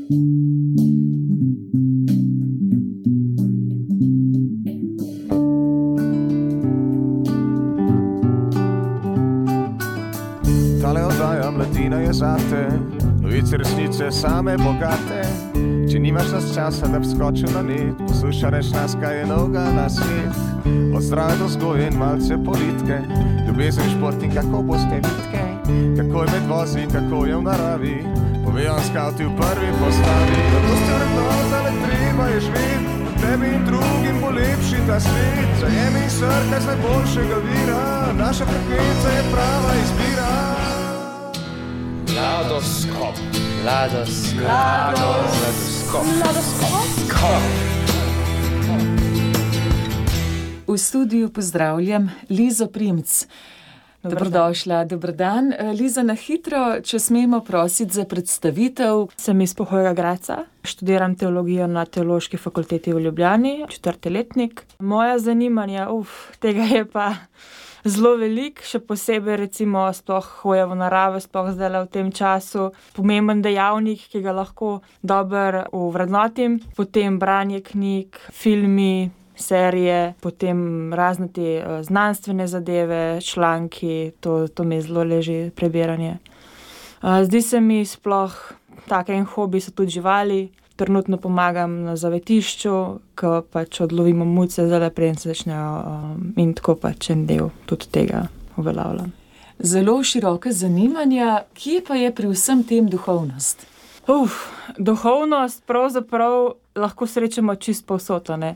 Tale oddaja Mladina je zate, novice resnice same bogate. Če nimaš nas časa, da bi skočil na net, poslušaj reč nas, kaj je novega na svet. Od zdrave do vzgoje in malce politike, ljubezen, šport in kako boste vitke, kako je med vozi, kako je v naravi, povejo skauti v prvi postavi. Zato ste vrednota, le treba je živeti, tebi in drugim bo lepši ta svet. Zajemi in srkaj z najboljšega vira, naša frekvenca je prava izbira. Mladoskop. V studiu pozdravljam Lizo Primc. Dobrodošla, dober dan. Liza, na hitro, če smemo prositi za predstavitev. Sem iz Pohojega Gradca, študiram teologijo na Teološki fakulteti v Ljubljani, 4. letnik. Moja zanimanja, tega je pa zelo veliko, še posebej recimo sploh hoja v naravo, sploh zdaj v tem času. Pomemben dejavnik, ki ga lahko dobro ovrednotim. Potem branje knjig, filmi, serije, potem razne te znanstvene zadeve, članki, to mi zelo leži prebiranje. Zdi se mi sploh tak en hobi so tudi živali. Trenutno pomagam na zavetišču, ko pač odlovimo muce, zdaj preden se začnejo in tako pač en del tudi tega uveljavljam. Zelo široke zanimanja, kje pa je pri vsem tem duhovnost? Duhovnost pravzaprav lahko srečamo čisto povsod, ne.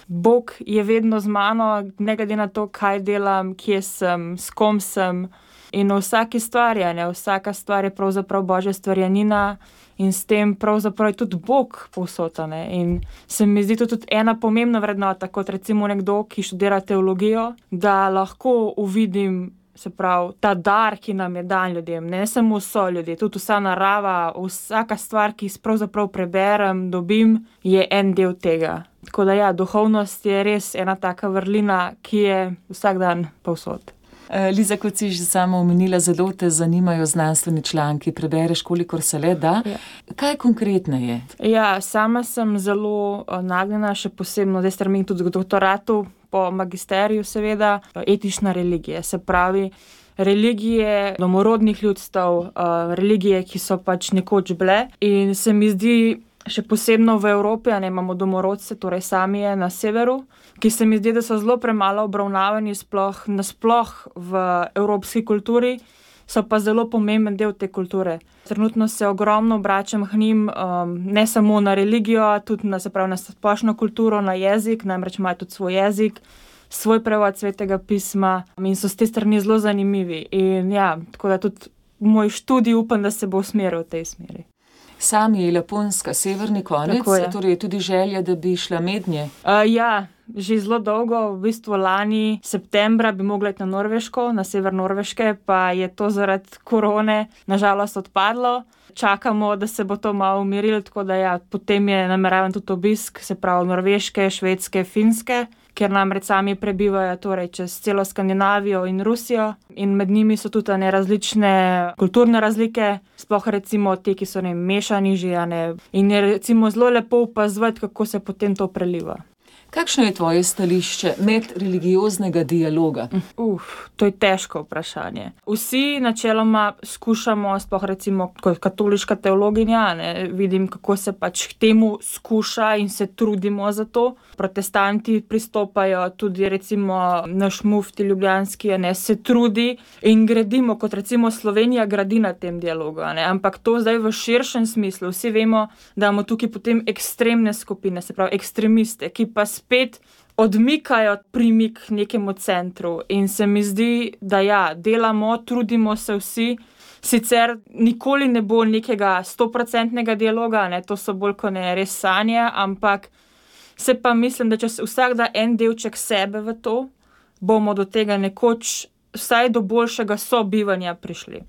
Bog je vedno z mano, ne glede na to, kaj delam, kje sem, s kom sem. In v vsaki stvari, vsaka stvar je pravzaprav Božja stvarjanina in s tem pravzaprav je tudi Bog povsod, in se mi zdi to tudi ena pomembna vrednota, kot recimo nekdo, ki študira teologijo, da lahko uvidim, se pravi, ta dar, ki nam je dan ljudem, ne samo so ljudje, tudi vsa narava, vsaka stvar, ki pravzaprav preberem, dobim, je en del tega. Tako da ja, duhovnost je res ena taka vrlina, ki je vsak dan povsod. Liza, kot si že sama omenila, zelo te zanimajo znanstveni članki, prebereš, kolikor se le da. Ja. Kaj konkretno je? Ja, sama sem zelo nagnjena, še posebno, zdaj stremim tudi k doktoratu, po magisteriju seveda, etična religija, se pravi, religije domorodnih ljudstev, religije, ki so pač nekoč bile in se mi zdi, še posebno v Evropi, imamo domorodce, torej Samije na severu, ki se mi zdi, da so zelo premalo obravnavani nasploh v evropski kulturi, so pa zelo pomemben del te kulture. Trenutno se ogromno obračam k njim, ne samo na religijo, tudi na splošno kulturo, na jezik, namreč imajo tudi svoj jezik, svoj prevod Svetega pisma in so s te strani zelo zanimivi. In ja, tako da tudi moj študij upam, da se bo usmeril v tej smeri. Sami je Laponska, severni konec, torej je tudi želja, da bi šla mednje. Ja, že zelo dolgo, v bistvu lani septembra bi mogla iti na Norveško, na sever Norveške, pa je to zaradi korone nažalost odpadlo. Čakamo, da se bo to malo umirilo, tako da ja, potem je nameravan tudi obisk, se pravi Norveške, Švedske, Finske, ker namreč sami prebivajo torej čez celo Skandinavijo in Rusijo in med njimi so tudi različne kulturne razlike, sploh recimo te, ki so mešani že, in je recimo zelo lepo opazovati, kako se potem to preliva. Kakšno je tvoje stališče medreligioznega dialoga? To je težko vprašanje. Vsi načeloma skušamo, sploh recimo kot katoliška teologinja, vidim, kako se pač k temu skuša in se trudimo za to. Protestanti pristopajo, tudi recimo naš mufti ljubljanski, se trudi in gradimo, kot recimo Slovenija gradi na tem dialogu, ampak to zdaj v širšem smislu. Vsi vemo, da imamo tukaj potem ekstremne skupine, se pravi ekstremiste, ki pa spet odmikajo premik nekemu centru in se mi zdi, da ja, delamo, trudimo se vsi, sicer nikoli ne bo nekega 100% dialoga, to so bolj kot ne res sanje, ampak se pa mislim, da če se vsak da en delček sebe v to, bomo do tega nekoč vsaj do boljšega sobivanja prišli.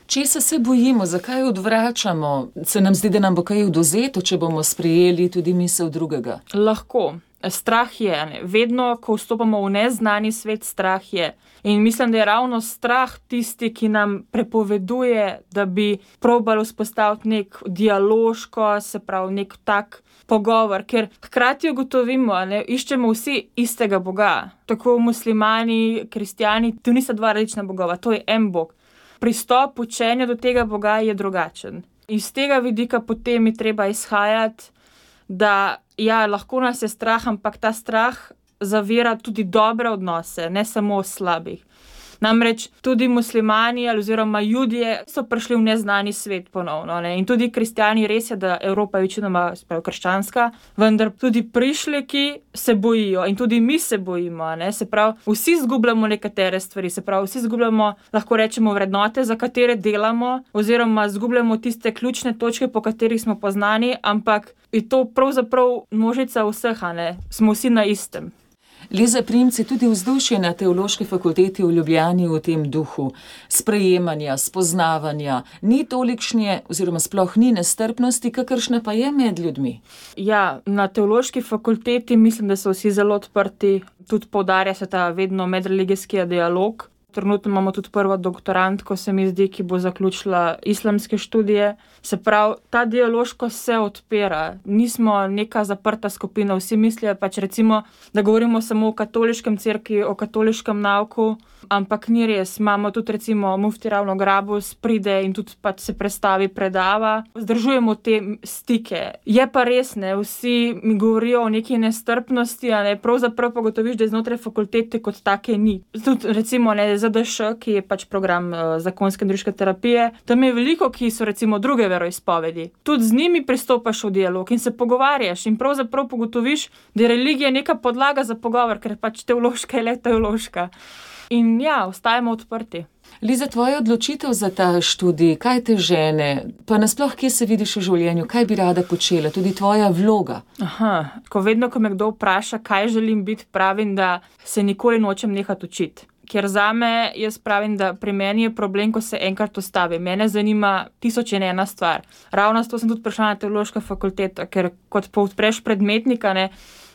Česa se bojimo, zakaj odvračamo? Se nam zdi, da nam bo kaj odvzeto, če bomo sprejeli tudi misel drugega? Lahko. strah je, ne? Vedno, ko vstopamo v neznani svet, strah je. In mislim, da je ravno strah tisti, ki nam prepoveduje, da bi probali vzpostaviti nek dialoško, se pravi, nek tak pogovor, ker hkrati ugotovimo, ne, iščemo vsi istega Boga. Tako muslimani, kristjani, to nista dva različna bogova, to je en Bog. Pristop učenja do tega Boga je drugačen. Iz tega vidika potem je treba izhajati, da ja, lahko nas je strah, ampak ta strah zavira tudi dobre odnose, ne samo slabih. Namreč tudi muslimani oziroma Judje so prišli v neznani svet ponovno, ne? In tudi kristjani, res je, da Evropa je večinoma krščanska, vendar tudi prišleki se bojijo in tudi mi se bojimo, ne? Se pravi, vsi izgubljamo nekatere stvari, se pravi, vsi izgubljamo, lahko rečemo, vrednote, za katere delamo, oziroma izgubljamo tiste ključne točke, po katerih smo poznani, ampak je to pravzaprav množica vseh, ne? Smo vsi na istem. Liza Primc, je tudi vzdušje na Teološki fakulteti v Ljubljani v tem duhu sprejemanja, spoznavanja, ni tolikšne oziroma sploh ni nestrpnosti, kakršna pa je med ljudmi? Ja, na Teološki fakulteti mislim, da so vsi zelo odprti, tudi poudarja se ta vedno medreligijski dialog. Trenutno imamo tudi prvo doktorantko, se mi zdi, ki bo zaključila islamske študije. Se pravi, ta dialoškost se odpira. Nismo neka zaprta skupina, vsi mislijo pač recimo, da govorimo samo o katoliškem cerkvi, o katoliškem nauku, ampak ni res. Imamo tudi recimo mufti Ravno Grabus, pride in tudi pač se predstavi, predava. Vzdržujemo te stike. Je pa res, ne, vsi mi govorijo o neki nestrpnosti, a ne, pravzaprav pa gotoviš, da znotraj fakultete kot take ni. Tudi recimo, ne, ZDŠ, ki je pač program zakonske in družinske terapije, tam je veliko, ki so recimo druge veroizpovedi. Tudi z njimi pristopaš v dialog in se pogovarjaš in pravzaprav pogotoviš, da je religija neka podlaga za pogovor, ker pač teološka je le teološka. In ja, ostajamo odprti. Liza, tvoja odločitev za ta študij, kaj te žene, pa nasploh, kje se vidiš v življenju, kaj bi rada počela, tudi tvoja vloga? Vedno, ko me kdo vpraša, kaj želim biti, pravim, da se nikoli nočem nehati učiti. Ker zame, jaz pravim, da pri meni je problem, ko se enkrat ustavi. Mene zanima 1001 stvar. Ravno zato sem tudi prišla na Teološko fakulteto, ker kot odpreš predmetnika, ne,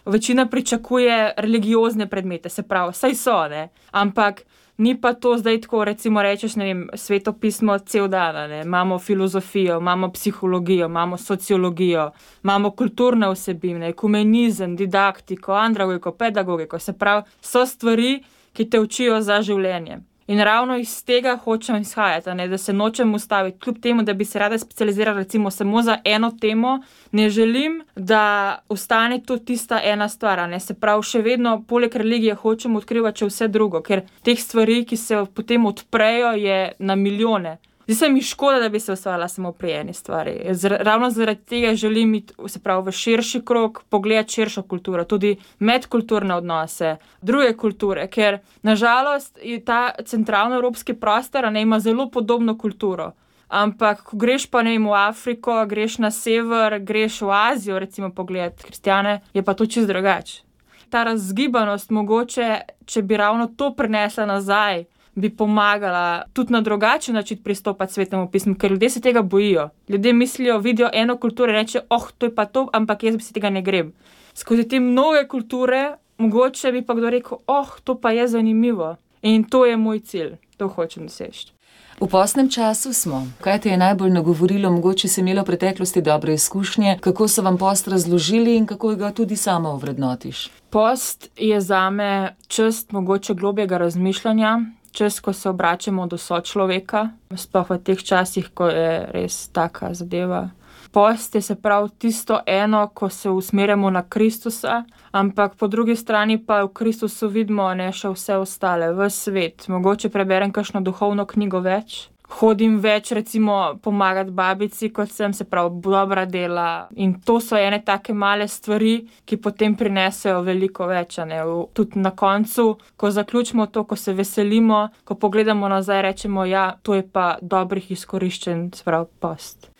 večina pričakuje religiozne predmete, se pravi, saj so, ne, ampak ni pa to zdaj tako, recimo rečeš, ne vem, svetopismo cel dan, ne, imamo filozofijo, imamo psihologijo, imamo sociologijo, imamo kulturne vsebine, ekumenizem, didaktiko, andragogiko, pedagogiko, se pravi, so stvari, ki te učijo za življenje. In ravno iz tega hočem izhajati, ne, da se nočem ustaviti, kljub temu, da bi se rada specializirala recimo samo za eno temo, ne želim, da ostane to tista ena stvar, ne, se pravi, še vedno poleg religije hočem odkrivati še vse drugo, ker teh stvari, ki se potem odprejo, je na milijone. Zdi se mi škoda, da bi se ustavila samo pri eni stvari. Ravno zaradi tega želim iti, se pravi, v širši krog, pogledati širšo kulturo, tudi medkulturne odnose, druge kulture, ker nažalost je ta centralnoevropski prostor, ne, ima zelo podobno kulturo. Ampak, ko greš pa, ne vem, v Afriko, greš na sever, greš v Azijo, recimo pogledati kristjane, je pa to čisto drugače. Ta razgibanost mogoče, če bi ravno to prinesla nazaj, bi pomagala tudi na drugačen način pristopati Svetemu pismu, ker ljudje se tega bojijo. Ljudje mislijo, vidijo eno kulturo in reče, to je pa to, ampak jaz bi si tega ne grem. Skozi te mnoge kulture, mogoče bi pa kdo rekel, to pa je zanimivo. In to je moj cilj, to hočem doseči. V postnem času smo. Kaj te je najbolj nagovorilo, mogoče si imela v preteklosti dobre izkušnje, kako so vam post razložili in kako ga tudi sama ovrednotiš? Post je zame čas mogoče globjega razmišljanja, čas, ko se obračamo do sočloveka, sploh v teh časih, ko je res taka zadeva. Post je se prav tisto eno, ko se usmerjamo na Kristusa, ampak po drugi strani pa v Kristusu vidimo, ne, še vse ostale, v svet. Mogoče preberem kakšno duhovno knjigo več. Hodim več, recimo, pomagati babici, kot sem, se pravi, dobra dela. In to so ene take male stvari, ki potem prinesejo veliko več, ne. Tudi na koncu, ko zaključimo to, ko se veselimo, ko pogledamo nazaj, rečemo, ja, to je pa dobrih izkoriščen, se pravi, post.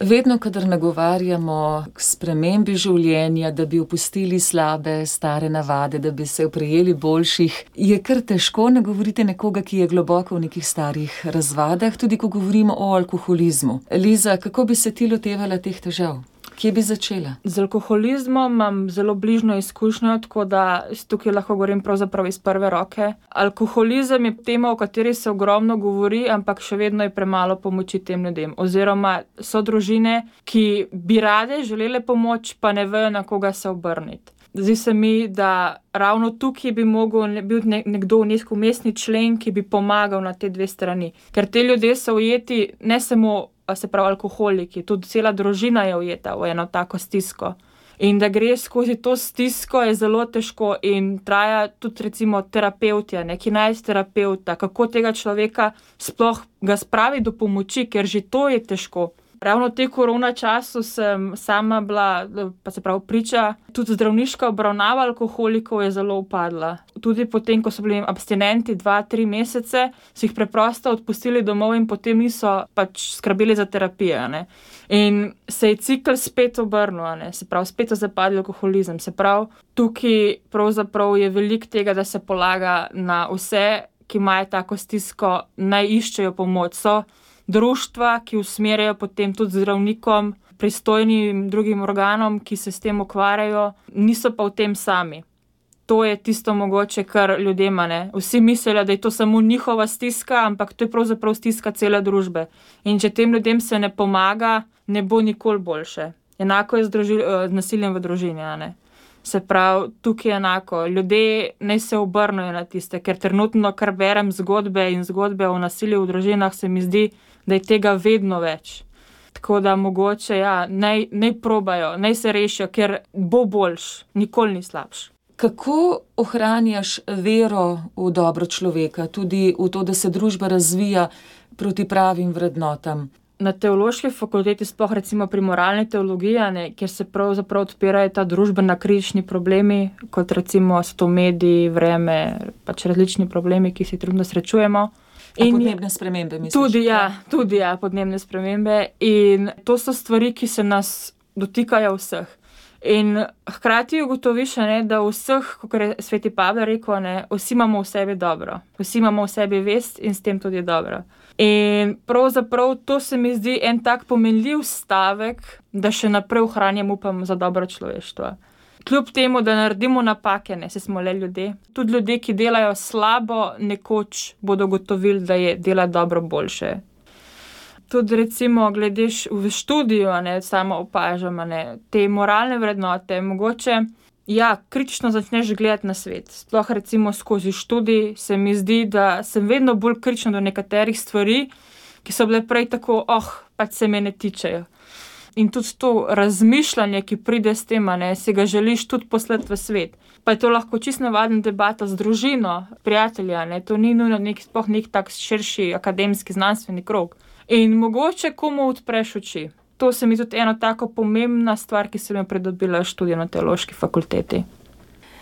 Vedno, kadar nagovarjamo k spremembi življenja, da bi opustili slabe, stare navade, da bi se oprijeli boljših, je kar težko nagovoriti nekoga, ki je globoko v nekih starih razvadah, tudi ko govorimo o alkoholizmu. Liza, kako bi se ti lotevala teh težav? Kje bi začela? Z alkoholizmom imam zelo bližno izkušnjo, tako da tukaj lahko govorim pravzaprav iz prve roke. Alkoholizem je tema, o kateri se ogromno govori, ampak še vedno je premalo pomoči tem ljudem. Oziroma so družine, ki bi rade želele pomoč, pa ne vejo, na koga se obrniti. Zdi se mi, da ravno tukaj bi mogel biti nekdo nek vmesni člen, ki bi pomagal na te dve strani. Ker te ljudje so ujeti ne samo, se pravi, alkoholiki, tudi cela družina je ujeta v eno tako stisko. In da greš skozi to stisko, je zelo težko in traja tudi recimo terapevtja, ki najde terapevta, kako tega človeka sploh ga spravi do pomoči, ker že to je težko. Ravno v tej korona času sem sama bila, pa se pravi priča, tudi zdravniška obravnava alkoholikov je zelo upadla. Tudi potem, ko so bili abstinenti 2-3 mesece, so jih preprosto odpustili domov in potem niso pač skrbeli za terapijo. In se je cikl spet obrnil, se pravi, spet so zapadli alkoholizem. Se pravi, tukaj pravzaprav je veliko tega, da se polaga na vse, ki imajo tako stisko, naj iščejo pomoč. So društva, ki usmerjajo potem tudi zdravnikom, pristojnim drugim organom, ki se s tem ukvarjajo, niso pa v tem sami. To je tisto mogoče, kar ljudem, vsi mislijo, da je to samo njihova stiska, ampak to je pravzaprav stiska cele družbe. In če tem ljudem se ne pomaga, ne bo nikoli boljše. Enako je z nasiljem v družini, Se pravi, tukaj je enako. Ljudje naj se obrnejo na tiste, ker trenutno, kar berem zgodbe o nasilju v družinah, se mi zdi, da je tega vedno več. Tako da mogoče, naj probajo, naj se rešijo, ker bo boljš, nikoli ni slabš. Kako ohranjaš vero v dobro človeka, tudi v to, da se družba razvija proti pravim vrednotam? Na teološki fakulteti, sploh recimo pri moralni teologiji, kjer se pravzaprav odpirajo ta družbena kritični problemi, kot recimo so to mediji, vreme, pač različni problemi, ki se trenutno srečujemo. In podnebne spremembe, misliš? Tudi podnebne spremembe. In to so stvari, ki se nas dotikajo vseh. In hkrati ugotoviš, da vseh, kot je sveti Pavel rekel, vsi imamo v sebi dobro. Vsi imamo v sebi vest in s tem tudi dobro. In pravzaprav to se mi zdi en tak pomenljiv stavek, da še naprej ohranjam upam za dobro človeštvo. Kljub temu, da naredimo napake, saj smo le ljudje. Tudi ljudje, ki delajo slabo, nekoč bodo ugotovili, da je dela dobro boljše. Tudi recimo, gledeš v študiju, samo opažam, te moralne vrednote, mogoče, kritično začneš gledati na svet. Sploh recimo skozi študij se mi zdi, da sem vedno bolj kritična do nekaterih stvari, ki so bile prej tako, pač se me ne tičejo. In tudi to razmišljanje, ki pride s tem, si ga želiš tudi poslati v svet. Pa je to lahko čisto navadna debata z družino, prijatelja, to ni nujno sploh nek tak širši akademski znanstveni krog. In mogoče komu odpreš oči. To se mi tudi ena tako pomembna stvar, ki sem jo pridobila študij na teološki fakulteti.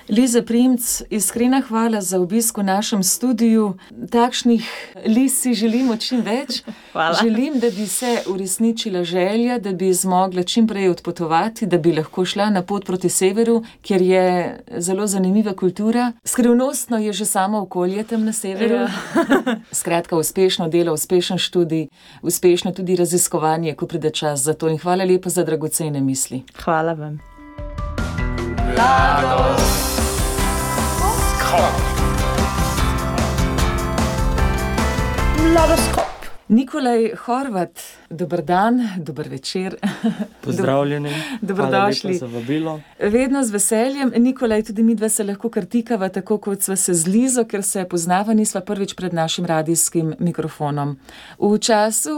Liza Primc, iskrena hvala za obisk v našem studiu. Takšnih Liz si želimo čim več. Hvala. Želim, da bi se uresničila želja, da bi zmogla čim prej odpotovati, da bi lahko šla na pot proti severu, kjer je zelo zanimiva kultura. Skrivnostno je že samo okolje tam na severu. Skratka, uspešno delo, uspešen študij, uspešno tudi raziskovanje, ko pride čas za to. In hvala lepa za dragocene misli. Hvala vam. Mladoskop. Nikolaj Horvat, dober dan, dober večer. Pozdravljeni. Dobrodošli. Hvala lepa za vabilo. Vedno z veseljem. Nikolaj, tudi midva se lahko kartikava, tako kot sva se z Lizo, ker se poznava, nisva prvič pred našim radijskim mikrofonom. V času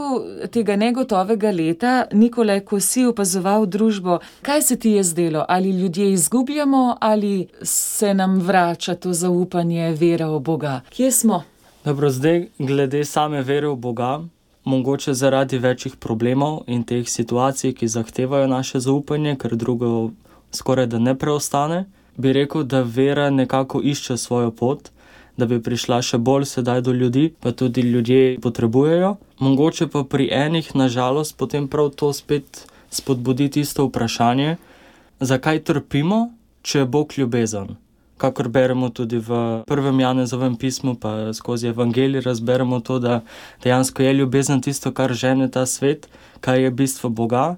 tega negotovega leta, Nikolaj, ko si opazoval družbo, kaj se ti je zdelo? Ali ljudje izgubljamo ali se nam vrača to zaupanje, vera v Boga? Kje smo? Dobro, zdaj glede same vere v Boga, mogoče zaradi večjih problemov in teh situacij, ki zahtevajo naše zaupanje, ker drugo skoraj da ne preostane, bi rekel, da vera nekako išče svojo pot, da bi prišla še bolj sedaj do ljudi, pa tudi ljudje potrebujejo. Mogoče pa pri enih, nažalost, potem prav to spet spodbudi tisto vprašanje, zakaj trpimo, če je Bog ljubezen. Kakor beremo tudi v 1. Janezovem pismu, pa skozi evangelij razberemo to, da dejansko je ljubezen tisto, kar žene ta svet, kaj je bistvo Boga.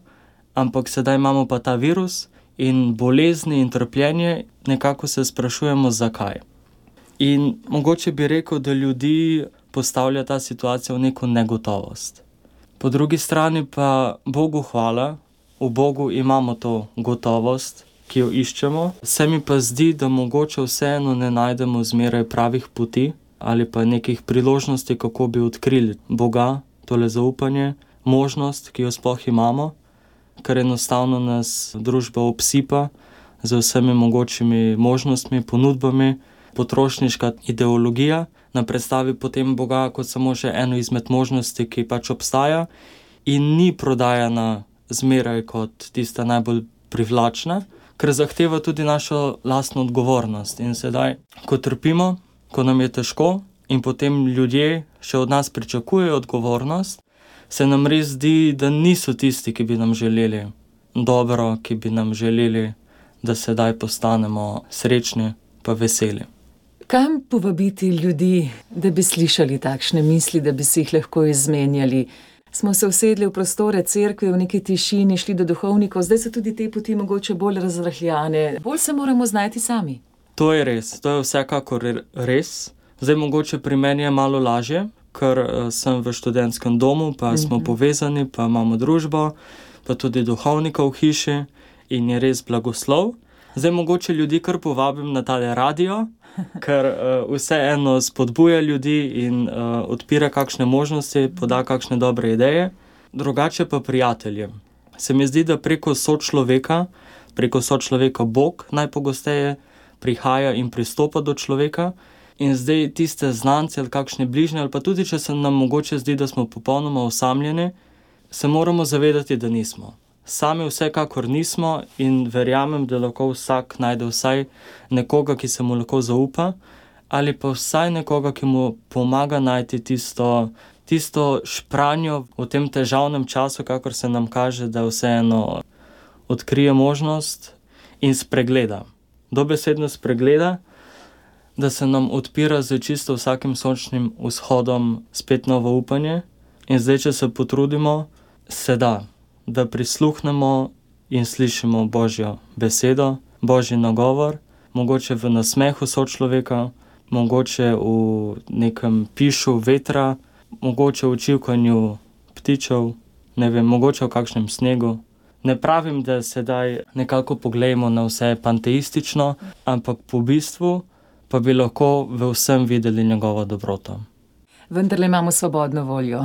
ampak sedaj imamo pa ta virus in bolezni in trpljenje, nekako se sprašujemo, zakaj. In mogoče bi rekel, da ljudi postavlja ta situacija v neko negotovost. Po drugi strani pa Bogu hvala, v Bogu imamo to gotovost, ki jo iščemo. Se mi pa zdi, da mogoče vseeno ne najdemo zmeraj pravih poti ali pa nekih priložnosti, kako bi odkrili Boga, tole zaupanje, možnost, ki jo sploh imamo, ker enostavno nas družba obsipa z vsemi mogočimi možnostmi, ponudbami, potrošniška ideologija nam predstavi potem Boga kot samo še eno izmed možnosti, ki pač obstaja in ni prodajana zmeraj kot tista najbolj privlačna, ker zahteva tudi našo lastno odgovornost. In sedaj, ko trpimo, ko nam je težko in potem ljudje še od nas pričakujejo odgovornost, se nam res zdi, da niso tisti, ki bi nam želeli dobro, ki bi nam želeli, da sedaj postanemo srečni pa veseli. Kam povabiti ljudi, da bi slišali takšne misli, da bi si jih lahko izmenjali? Smo se usedli v prostore cerkve, v neki tišini, šli do duhovnikov, zdaj so tudi te poti mogoče bolj razrahljane. Bolj se moramo znajti sami. To je res, to je vsekakor res. Zdaj mogoče pri meni je malo lažje, ker sem v študentskem domu, pa smo povezani, pa imamo družbo, pa tudi duhovnika v hiši in je res blagoslov. Zdaj mogoče ljudi kar povabim na tale radio, ker vseeno spodbuja ljudi in odpira kakšne možnosti, poda kakšne dobre ideje. Drugače pa prijateljem. Se mi zdi, da preko sočloveka Bog najpogosteje prihaja in pristopa do človeka. In zdaj tiste znance ali kakšne bližnje, ali pa tudi, če se nam mogoče zdi, da smo popolnoma osamljeni, se moramo zavedati, da nismo. Sami vsekakor nismo in verjamem, da lahko vsak najde vsaj nekoga, ki se mu lahko zaupa, ali pa vsaj nekoga, ki mu pomaga najti tisto špranjo v tem težavnem času, kakor se nam kaže, da vseeno odkrije možnost in spregleda. Dobesedno spregleda, da se nam odpira z čisto vsakim sončnim vzhodom spet novo upanje. In zdaj, če se potrudimo, se da prisluhnemo in slišimo Božjo besedo, Božji nagovor, mogoče v nasmehu sočloveka, mogoče v nekem pišu vetra, mogoče v čivkanju ptičev, ne vem, mogoče v kakšnem snegu. Ne pravim, da sedaj nekako poglejmo na vse panteistično, ampak po bistvu pa bi lahko v vsem videli njegovo dobroto. Vendarle imamo svobodno voljo.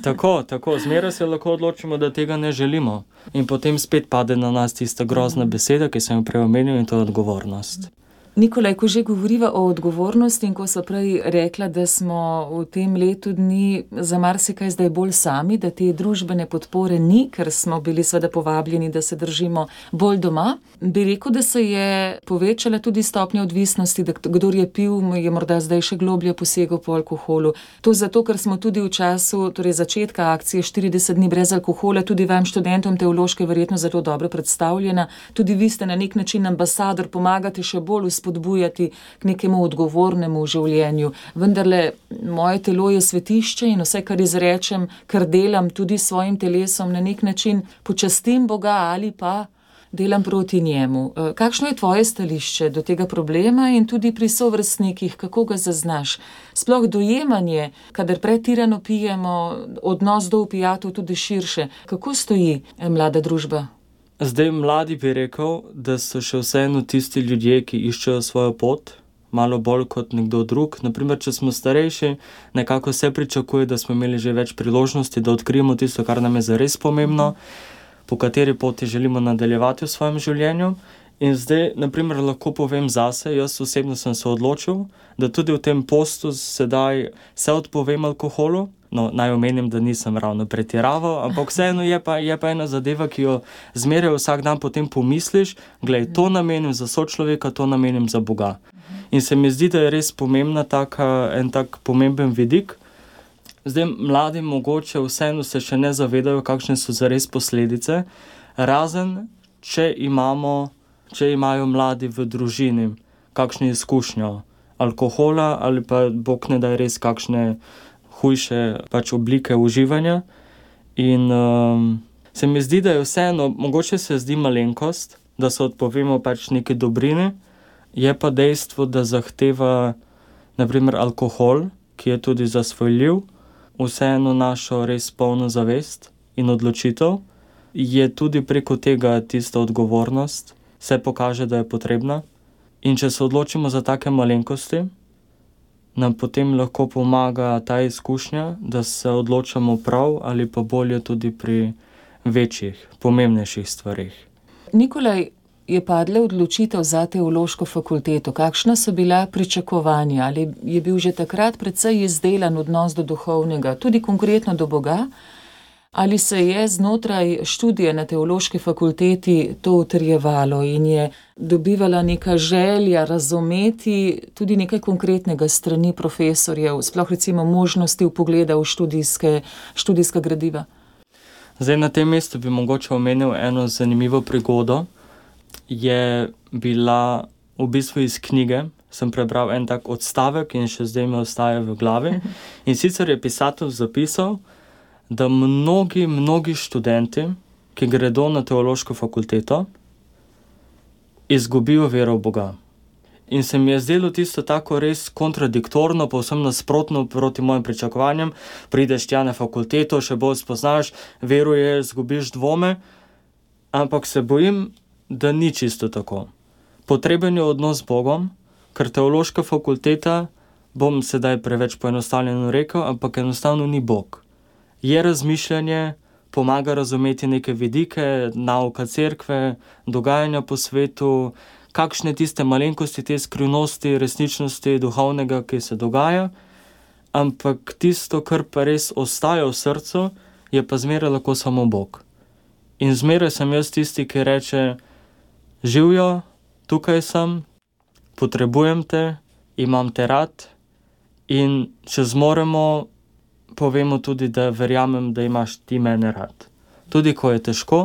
Tako, zmeraj se lahko odločimo, da tega ne želimo. In potem spet pade na nas tista grozna beseda, ki sem jo prej omenil, in to je odgovornost. Nikolaj, ko že govoriva o odgovornosti in ko sva prej rekla, da smo v tem letu dni za marsikaj zdaj bolj sami, da te družbene podpore ni, ker smo bili seveda povabljeni, da se držimo bolj doma, bi rekel, da se je povečala tudi stopnja odvisnosti, da kdor je pil, je morda zdaj še globlje posegal po alkoholu. To zato, ker smo tudi v času začetka akcije 40 dni brez alkohola, tudi vam študentom teološke verjetno zelo dobro predstavljena. Tudi vi ste na nek način ambasador, pomagate še bolj spodbujati k nekemu odgovornemu življenju. Vendarle, moje telo je svetišče in vse, kar izrečem, kar delam tudi s svojim telesom, na nek način počastim Boga ali pa delam proti njemu. Kakšno je tvoje stališče do tega problema in tudi pri sovrstnikih, kako ga zaznaš? Sploh dojemanje, kadar pretirano pijemo, odnos do opijatov tudi širše. Kako stoji mlada družba? Zdaj mladi bi rekel, da so še vseeno tisti ljudje, ki iščejo svojo pot, malo bolj kot nekdo drug. Naprimer, če smo starejši, nekako se pričakuje, da smo imeli že več priložnosti, da odkrijemo tisto, kar nam je zares pomembno, po kateri poti želimo nadaljevati v svojem življenju. In zdaj, naprimer, lahko povem zase, jaz osebno sem se odločil, da tudi v tem postu sedaj se odpovem alkoholu. No, naj omenim, da nisem ravno pretiraval, ampak vseeno je pa ena zadeva, ki jo zmeraj vsak dan potem pomisliš, glej, to namenim za sočloveka, to namenim za Boga. In se mi zdi, da je res pomembna en tak pomemben vidik. Zdaj, mladi mogoče vseeno se še ne zavedajo, kakšne so zares posledice, razen če imajo mladi v družini kakšne izkušnjo alkohola ali pa Bog ne daj res kakšne hujše oblike uživanja. In Se mi zdi, da je vseeno, mogoče se zdi malenkost, da se odpovemo pač neke dobrine, je pa dejstvo, da zahteva naprimer alkohol, ki je tudi zasvojljiv, vseeno našo res polno zavest in odločitev, je tudi preko tega tista odgovornost, se pokaže, da je potrebna. In če se odločimo za take malenkosti, nam potem lahko pomaga ta izkušnja, da se odločamo prav ali pa bolje tudi pri večjih, pomembnejših stvarih. Nikolaj, je padla odločitev za teološko fakulteto. Kakšna so bila pričakovanja? Ali je bil že takrat precej izdelan odnos do duhovnega, tudi konkretno do Boga? Ali se je znotraj študija na teološki fakulteti to utrjevalo in je dobivala neka želja razumeti tudi nekaj konkretnega strani profesorjev, sploh recimo možnosti vpogleda v študijska gradiva? Zdaj na tem mestu bi mogoče omenil eno zanimivo prigodo. Je bila v bistvu iz knjige, sem prebral en tak odstavek in še zdaj mi ostaja v glavi. In sicer je pisatelj zapisal, da mnogi študenti, ki gredo na teološko fakulteto, izgubijo vero v Boga. In se mi je zdelo tisto tako res kontradiktorno, povsem nasprotno proti mojim pričakovanjem. Prideš tja na fakulteto, še bolj spoznaš, veruješ, izgubiš dvome, ampak se bojim, da ni čisto tako. Potreben je odnos z Bogom, ker teološka fakulteta, bom sedaj preveč poenostavljeno rekel, ampak enostavno ni Bog. Je razmišljanje, pomaga razumeti neke vidike, nauka cerkve, dogajanja po svetu, kakšne tiste malenkosti, te skrivnosti, resničnosti duhovnega, ki se dogaja, ampak tisto, kar pa res ostaja v srcu, je pa zmeraj lahko samo Bog. In zmeraj sem jaz tisti, ki reče, živjo, tukaj sem, potrebujem te, imam te rad in če zmoremo, povemo tudi, da verjamem, da imaš ti mene rad. Tudi ko je težko,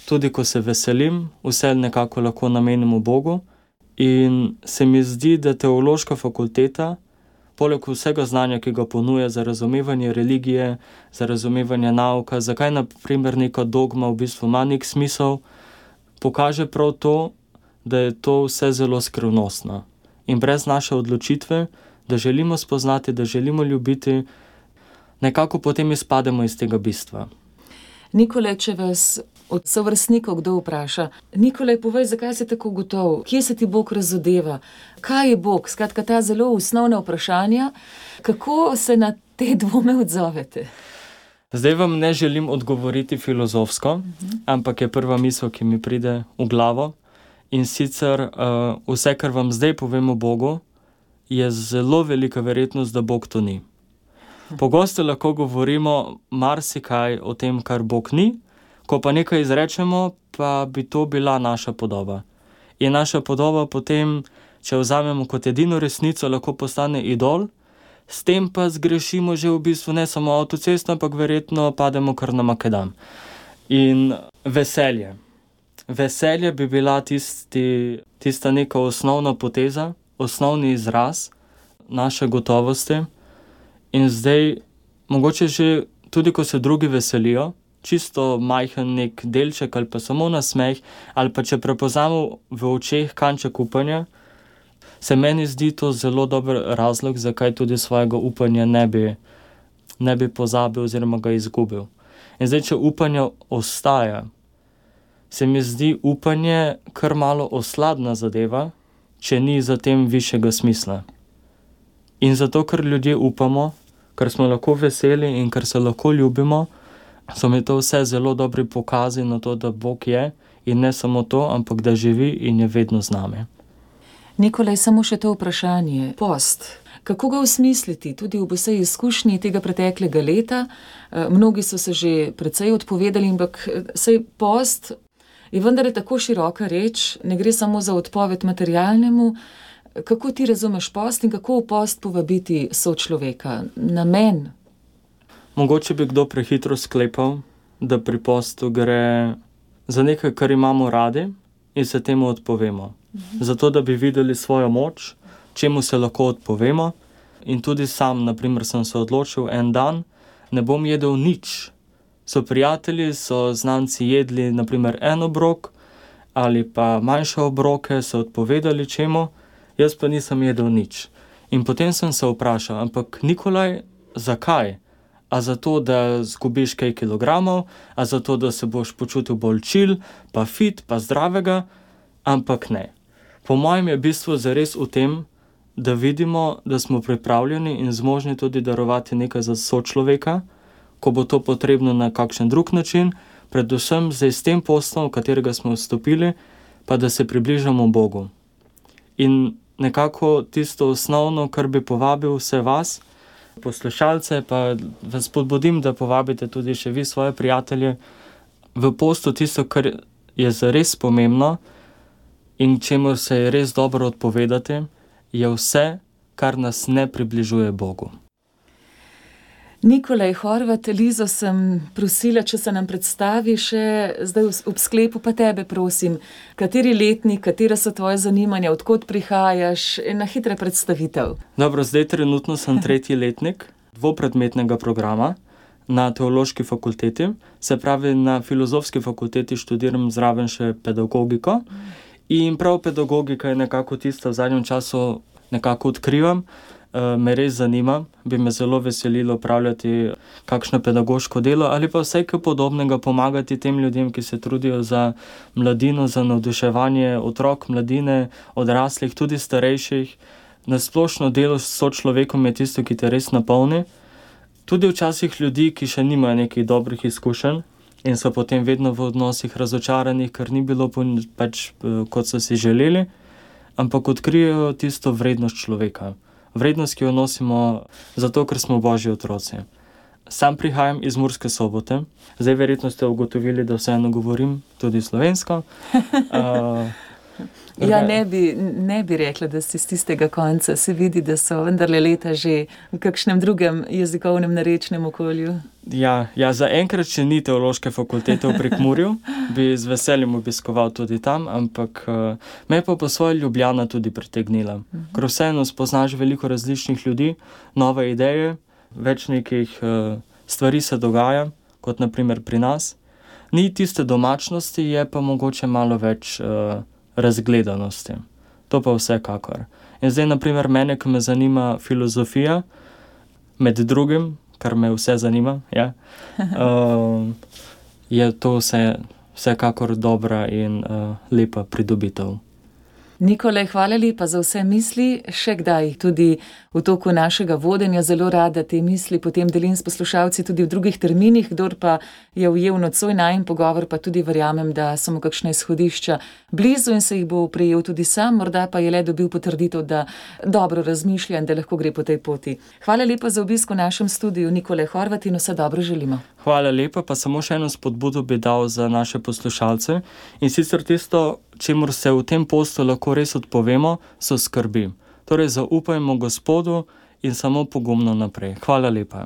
tudi ko se veselim, vse nekako lahko namenimo Bogu in se mi zdi, da teološka fakulteta, poleg vsega znanja, ki ga ponuja za razumevanje religije, za razumevanje nauka, zakaj na primer neka dogma v bistvu ima nek smisel, pokaže prav to, da je to vse zelo skrivnostno. In brez naše odločitve, da želimo spoznati, da želimo ljubiti, nekako potem izpademo iz tega bistva. Nikolaj, če vas od sovrstnikov kdo vpraša, Nikolaj, povej, zakaj si tako gotov? Kje se ti Bog razodeva? Kaj je Bog? Skratka, ta zelo osnovna vprašanja. Kako se na te dvome odzovete? Zdaj vam ne želim odgovoriti filozofsko, ampak je prva misel, ki mi pride v glavo. In sicer vse, kar vam zdaj povem o Bogu, je zelo velika verjetnost, da Bog to ni. Pogosto lahko govorimo marsikaj o tem, kar Bog ni, ko pa nekaj izrečemo, pa bi to bila naša podoba. In naša podoba potem, če vzamemo kot edino resnico, lahko postane idol, s tem pa zgrešimo že v bistvu ne samo avtocesto, ampak verjetno pademo kar na makadam. In veselje. Veselje bi bila tista neka osnovna poteza, osnovni izraz naše gotovosti. In zdaj, mogoče že tudi, ko se drugi veselijo, čisto majhen nek delček ali pa samo nasmeh, ali pa če prepoznamo v očeh kanček upanja, se meni zdi to zelo dober razlog, zakaj tudi svojega upanja ne bi pozabil oziroma ga izgubil. In zdaj, če upanje ostaja, se mi zdi upanje kar malo osladna zadeva, če ni za tem višjega smisla. In zato, ker ljudje upamo, ker smo lahko veseli in ker se lahko ljubimo, so mi to vse zelo dobri pokazi na to, da Bog je in ne samo to, ampak da živi in je vedno z nami. Nikolaj, samo še to vprašanje. Post. Kako ga osmisliti tudi v vsej izkušnji tega preteklega leta? Mnogi so se že precej odpovedali, ampak saj post je vendar tako široka reč, ne gre samo za odpoved materialnemu. Kako ti razumeš post in kako v post povabiti sočloveka? Namen? Mogoče bi kdo prehitro sklepal, da pri postu gre za nekaj, kar imamo radi in se temu odpovemo. Zato, da bi videli svojo moč, čemu se lahko odpovemo. In tudi sam, na primer, sem se odločil en dan, ne bom jedel nič, So prijatelji, so znanci jedli naprimer en obrok ali pa manjše obroke, so odpovedali čemu, jaz pa nisem jedel nič. In potem sem se vprašal, ampak Nikolaj, zakaj? A zato, da zgubiš kaj kilogramov, a zato, da se boš počutil bolj chill, pa fit, pa zdravega? Ampak ne. Po mojem je bistvo zares v tem, da vidimo, da smo pripravljeni in zmožni tudi darovati nekaj za sočloveka, ko bo to potrebno na kakšen drug način, predvsem zdaj s tem postom, v katerega smo vstopili, pa da se približamo Bogu. In nekako tisto osnovno, kar bi povabil vse vas, poslušalce, pa vas spodbudim, da povabite tudi še vi svoje prijatelje v postu, tisto, kar je zares pomembno in čemu se je res dobro odpovedati, je vse, kar nas ne približuje Bogu. Nikolaj Horvat, Lizo sem prosila, če se nam predstavi še zdaj ob sklepu, pa tebe prosim, kateri letnik, katera so tvoje zanimanja, odkot prihajaš, na hitre predstavitev. Dobro, zdaj trenutno sem 3. letnik dvopredmetnega programa na Teološki fakulteti, se pravi na Filozofski fakulteti študiram zraven še pedagogiko in prav pedagogika je nekako tista v zadnjem času nekako odkrivam, me res zanima, bi me zelo veselilo opravljati kakšno pedagoško delo ali pa vsaj kaj podobnega, pomagati tem ljudem, ki se trudijo za mladino, za navduševanje otrok, mladine, odraslih, tudi starejših. Na splošno delo s sočlovekom je tisto, ki te res napolni. Tudi včasih ljudi, ki še nimajo nekih dobrih izkušenj in so potem vedno v odnosih razočaranih, ker ni bilo pač kot so si želeli, ampak odkrijejo tisto vrednost človeka. Vrednost, ki jo nosimo zato, ker smo Božji otroci. Sam prihajam iz Murske Sobote. Zdaj verjetno ste ugotovili, da vseeno govorim tudi slovensko. Ja, ne bi rekla, da si z tistega konca. Se vidi, da so vendarle leta že v kakšnem drugem jezikovnem narečnem okolju. Ja, zaenkrat še ni Teološke fakultete v Prekmurju, bi z veseljem obiskoval tudi tam, ampak me pa po svoje Ljubljana tudi pritegnila. Ker vseeno spoznaš veliko različnih ljudi, nove ideje, več nekih stvari se dogaja, kot naprimer pri nas. Ni tiste domačnosti, je pa mogoče malo več razgledanosti. To pa vsekakor. In zdaj, naprimer, mene, ki me zanima filozofija, med drugim, kar me vse zanima, ja, je to vsekakor dobra in lepa pridobitev. Nikolaj, hvala lepa za vse misli, še kdaj tudi v toku našega vodenja zelo rada te misli potem delim s poslušalci tudi v drugih terminih, kdor pa je ujel nocoj najin pogovor, pa tudi verjamem, da so mu kakšne izhodišča blizu in se jih bo prejel tudi sam, morda pa je le dobil potrditev, da dobro razmišlja in da lahko gre po tej poti. Hvala lepa za obisk v našem studiu, Nikolaj Horvat, in vse dobro želimo. Hvala lepa, pa samo še eno spodbudo bi dal za naše poslušalce in sicer tisto, čemur se v tem postu lahko res odpovemo, so skrbi. Torej zaupajmo Gospodu in samo pogumno naprej. Hvala lepa.